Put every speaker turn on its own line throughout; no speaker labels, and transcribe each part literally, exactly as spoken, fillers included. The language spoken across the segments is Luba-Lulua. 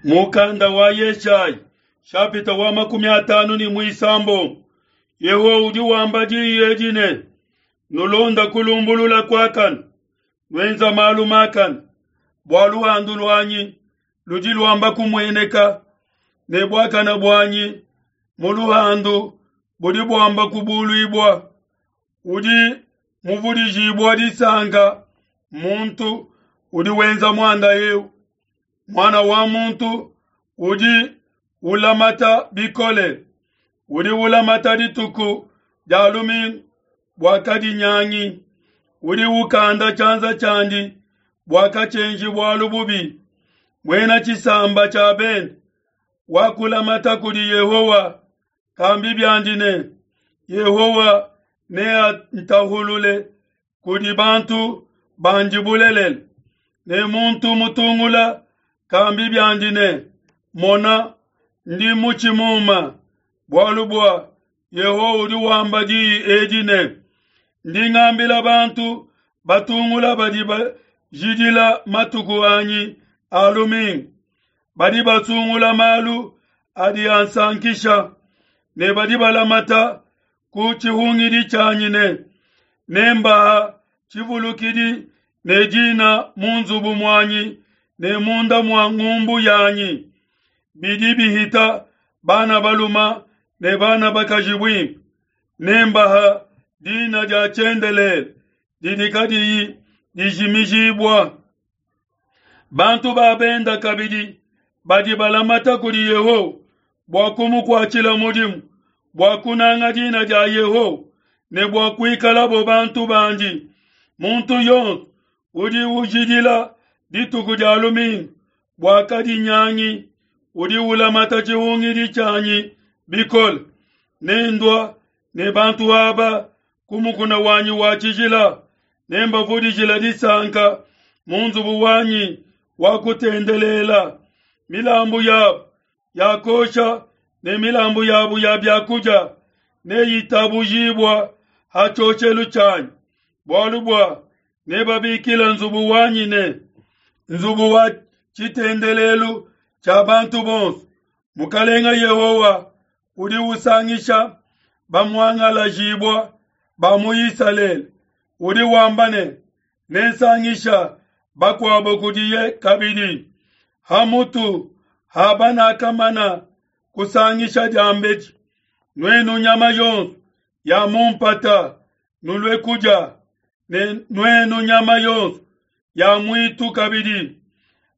Mukanda wa Yeshayi shapita wa makumi atanu ne muisambombo Yehowa udi wamba diyi edi ne, nulonda kulumbulula kuakane, nuenza malu makane, bua luhandu luanyi ludi luamba kumueneka, ne buakane buanyi mu luhandu budi buamba kubuluibua. Udi muvudijibua disanka muntu udi wenza muanda eu, muana wa muntu udi ulamata bikole, udi ulamata dituku dia lumingu bua kadinyangi, udi ukanda tshianza tshiandi bua katshienji bualu bubi. Muena tshisamba tshia bende wakulamata kudi Yehowa, kambi biandi ne, Yehowa neantahulule kudi bantu bandi bulelela. Ne muntu mutungula kambi biandi ne, mona, ndi mutshi muma, bualu bua Yehowa udi wamba diyi edi ne, ndi ngambila bantu batungula badi bajidila matuku anyi a lumingu, badi basungula malu adi ansankisha, ne badi balamata ku tshihungidi tshianyi ne, nembaha tshivulukidi ne dina mu nzubu muanyi ne munda mua ngumbu yanyi, bidi bihita bana baluma ne bana bakaji buimpe, nembaha dina dia tshiendelele didi kadiyi dijimijibua. Bantu ba benda kabidi badi balamata kudi Yehowa bua kumukuatshila mudimu, bua kunanga dina dia Yehowa ne bua kuikalabo bantu bandi. Muntu yonso udi ujidila dituku dia lumingu bua kadinyangi, udi ulamata tshihungidi tshianyi bikole. Nendua ne bantu aba ku mukuna wanyi wa tshijila, nembavudijila disanka mu nzubu wanyi wa kutendelela. Milambu yabo ya kosha ne milambu yabo ya biakudia neyitabujibua ha tshioshelu tshianyi, bualu bua nebabikila nzubu wanyi ne, nzubu wa tshitendelelu tshia bantu bonso. Mukalenga Yehowa udi usangisha bamuangalajibua ba mu Isalele, udi wamba ne, nensangisha bakuabo kudiye kabidi, hamutu ha banakamana kusangisha diambedi. Nuenu nyama yonso ya mu mpata nulue kudia, ne nuenu nyama yonso ya muitu kabidi.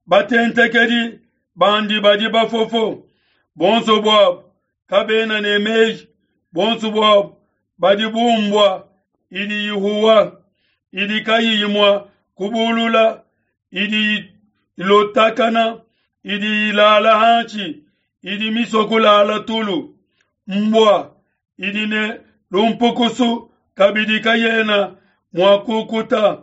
Batentekedi bandi badi bafofo, bonso buabo kabena ne meji, bonso buabo badi bumbwa idi ihuwa, idi kayiyi mua kubulula, idi ilotakana, idi ilala hanshi, idi misua kulala tulu. Mbwa idi ne lumpukusu kabidi kayena mua kukuta,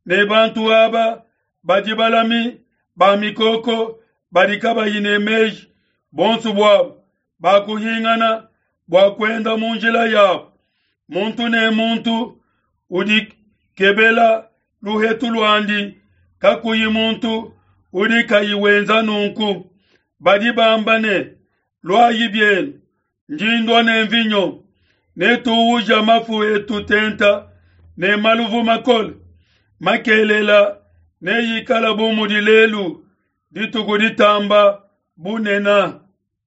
ne bantu aba badi balami ba mikoko badi kabayi ne meji, bonso buabo bakuhingana bua kuenda mu njila yabo. Muntu ne muntu udi kebela luhetu luandi, kakuyi muntu udi kayi wenza nunku. Badi bamba ne, luayi bienu, ndi ndua ne mvinyo, netuuja mafu etu tenta ne maluvu makole. Makelela neyikala bu mudi lelu dituku ditamba bunena.